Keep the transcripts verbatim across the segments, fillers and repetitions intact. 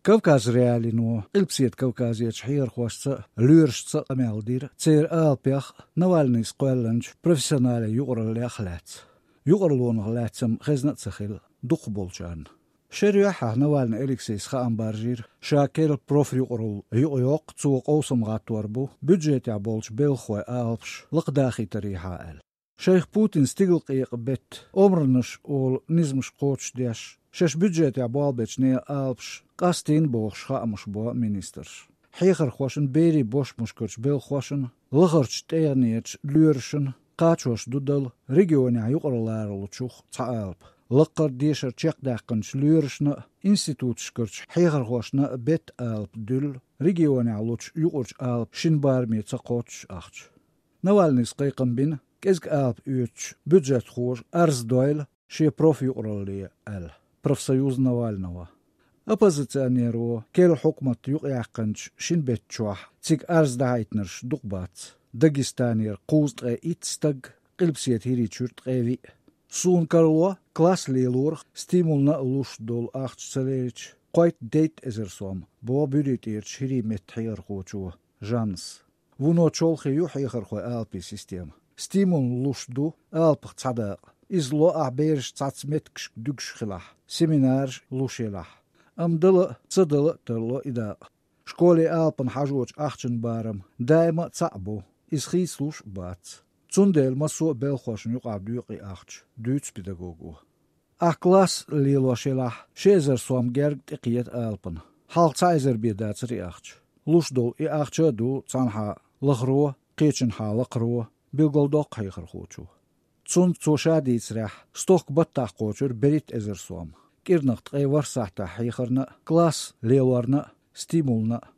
Кавказ.Реалиино Къилбаседа Кавказерчу хьехархошца а, лоьрашца а къамел дира церан алапех а, Навальныйс кхоьллинчу профессионалан юкъараллех а лаьцна. Юкъарлонах лаьцна-м хезна а ца хилла дукхахболчарна. Шера юьххьехь Навальный Алексейс хаам баржийра, ша керла профюкъаралла юкъайоккху, цо къовсам гӀаттор бу бюджетехь болчу белхахойн алапаш лакхадахийтарехьа аьлла. Шайх Путина стигалкъекъа беттан омранаш олу низамаш кхочушдеш, шаьш бюджетехь болх бечу нехан алапаш къастийна бохуш хаамаш бо министрша. Хьехархошна, берийн бошмашкарчу белхахошна, лахарчу тӀегӀанерчу лоьрашна кхачош ду дала регионехь юкъаралларалучух цхьа алапа. Лаккхара дешар чекхдаьккхинчу лоьрашна а, институташкарчу хьехархошна а беттан алапа дуьллу регионехь лучу юкъарчу алапан шина бараме ца кхоччуш ахча. Навальныйс кхайкхам бина, кӀезиг алапа оьцучу бюджетхоша арз дойла шен профюкъаралле аьлла, профсоюз Навального. Оппозиционеро керла хьукмат юкъаяьккхинчу шина беттан чохь цига арз дахьийтинарш дукха бац. Дагестанера кхузткъе итт стаг, Къилбаседа ХӀирийчуьра ткъе виъ. Суна карало, класс лелорах стимулна а луш долу ахча ца лелча, кхойтта-дейтта эзар сом, боху Буьрий тӀерачу хӀирийн меттан хьехархочо Жаннас. Вуно чолхе ю хьехархойн алапийн система. Стимулна луш ду алапах цхьа дакъа. Иза ло ахь бераш цхьацца меттигашка дуьгуш хилахь, семинараш луш елахь. Амма дала а, ца дала а тарло и дакъа. Школе алапана хьажочу ахчанан барам даима а цхьаъ бу, иза хийцалуш а бац. Цундела массо а белхахошна юкъахь доькъу и ахча, дуьйцу педагого. Ахь класс лелош елахь, ши эзар сом герга тӀекхета алапана. Хьалха цхьа эзар бен дацара и ахча. Луш долу и ахча а ду цхьанхьа лахаро, кхечанхьа лакхаро, билгалдоккху хьехархочо. Цунна, цо ша дийцарехь, стохка баттахь кхочура берхӀитта эзар сом. КӀирнах ткъе ворхӀ сахьтехь хьехарна а, класс лелорна а, стимулна а.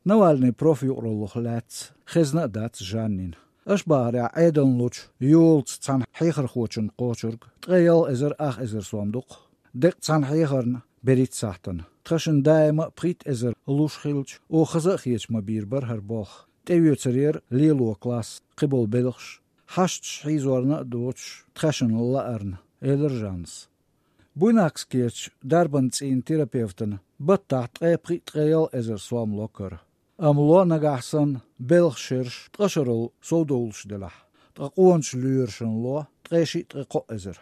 Навальныйн профюкъараллах лаьцна хезна а дац Жаннина. Аша бахарехь, Ӏедална лучу йолаца цхьана хьехархочунна кхочург ткъе ялх эзар ах эзар сом ду-кх. Деккъа цхьана хьехарна берхӀитта сахьтана. Тхаьшна даима а пхийтта эзар луш хилча, оха хаза а хеташ ма бийр бара хӀара болх. ТӀеоьцур яра лело класс, кхиболу белхаш. Хьашташ хьийзорна а доцуш, тхаьшна лаарна, элира Жаннас. Буйнакскерчу дарбан цӀийнан терапевтана баттахь ткъе пхиъ-ткъе ялх эзар сом ло кара. Амма ло нагахь санна белхан шераш ткъа шарал совдовлуш делахь, ткъа къоначу лоьрашна ло ткъе шиъ-ткъе кхоъ эзар.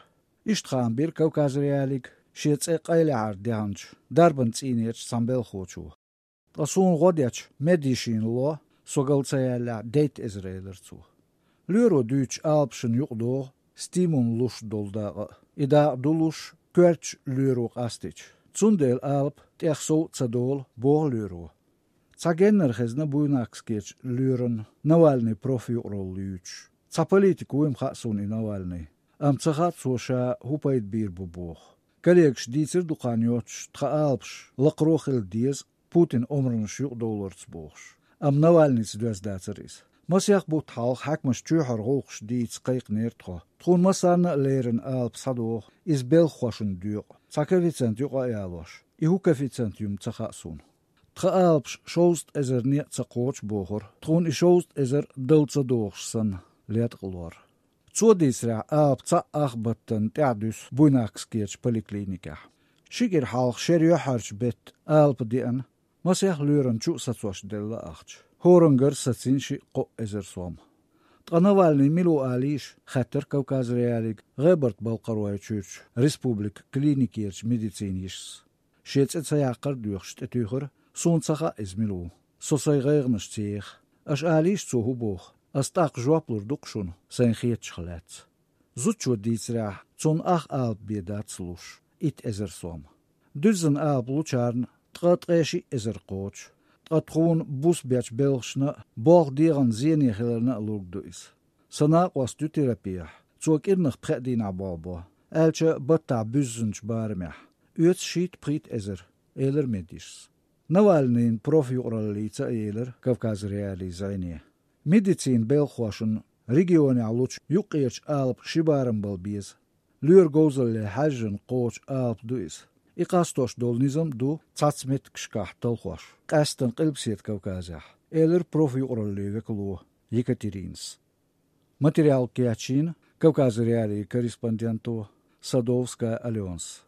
Иштта хаам бира Кавказ.Реалиига шен цӀе къайлаьхьар дехначу дарбан цӀийнерчу цхьана белхахочо. Ткъа суна гӀо дечу медйишина ло, со гал ца яьллехь, дейтта эзар, элира цо. Лоьро дуьйцучу алапашна юкъадогӀу стимулна луш долу дакъа а. И дакъа ду луш коьртачу лоьро къастийча. Цундела алапа тӀех сов а ца долу, боху лоьро. Цхьа геннара хезна Буйнакскерчу лоьран Навальныйн профюкъаралла юьйцуш. Цхьа политик вуй-м хаьа суна и Навальный. Амма ца хаьа цо ша хӀун пайда бийр бу боху. Коллегаша дийцира дукха хан йоццуш тхан алапаш лакхаро хила деза Путинан омранаш юкъадовларца бохуш. Амма Навальныйца доьзна дацара иза. Масех бутт хьалха хьаькамаша чоьхьара гӀуллакхаш дийца кхайкхинера тхо. Тхуна массарна а леррина алапа схьадогӀу, иза белхахошна доькъу, цхьа коэффициент юкъа а ялош. И хӀун коэффициент ю-м ца хаьа суна. Тхан алапаш шовзткъа эзар некъ ца кхочу бохура, тхуна и шовзткъа эзар дала ца догӀуш санна, латкъа лор. Цо дийцарехь, алапа цхьаъ ах баттана тӀаьхьадуьсу Буйнакскерчу поликлиникехь. Ши кӀира хьалха шера юьххьарчу беттан алапа деана, масех лоьрана чу а сацош делла ахча. ХӀораннагара сацийна шиъ-кхоъ эзар сом. Ткъа Навальныйн мила ву алийша, хаьттира Кавказ.Реалиига ГӀебарта-Балкхаройчуьрчу республикан клиникерчу медицинан йишас. Шен цӀе ца яккхар а доьхуш тӀетуьйхира, суна ца хаьа иза мила ву. Со сайн гӀайгӀанаш ца еха. Аша алийша, цо хӀун боху? Ас тӀаккха жоп лур ду-кх шуна, сайна хетачух лаьцна. Зудчо дийцарехь, цунна ах алапа бен дац луш, итт эзар сом. Дуьззина алапа лучарна ткъа-ткъе шиъ эзар кхочу. Ткъа тхуна буса бечу белхашна а, болх дегӀан зене хиларна а лург ду иза. Сан накъост ю терапехь, цо кӀирнах пхеа дийнахь болх бо, аьлча баттахь буьззинчу барамехь. Оьцу шийтта-пхийтта эзар, элира медйишас. Навальныйн профюкъараллица а елира Кавказ.Реалиин зӀене. Медицинан белхахошна регионехь лучу юккъерчу алапан ши барам бала беза. Лоьран говзалле хьаьжжина кхочу алапа ду иза. И къастош долу низам а ду цхьацца меттигашкахь талхош, къаьсттина Къилбаседа Кавказехь, элира профюкъараллин векало Екатеринас. Материал кечйина Кавказ.Реалиин корреспонденто Садовская Аленас.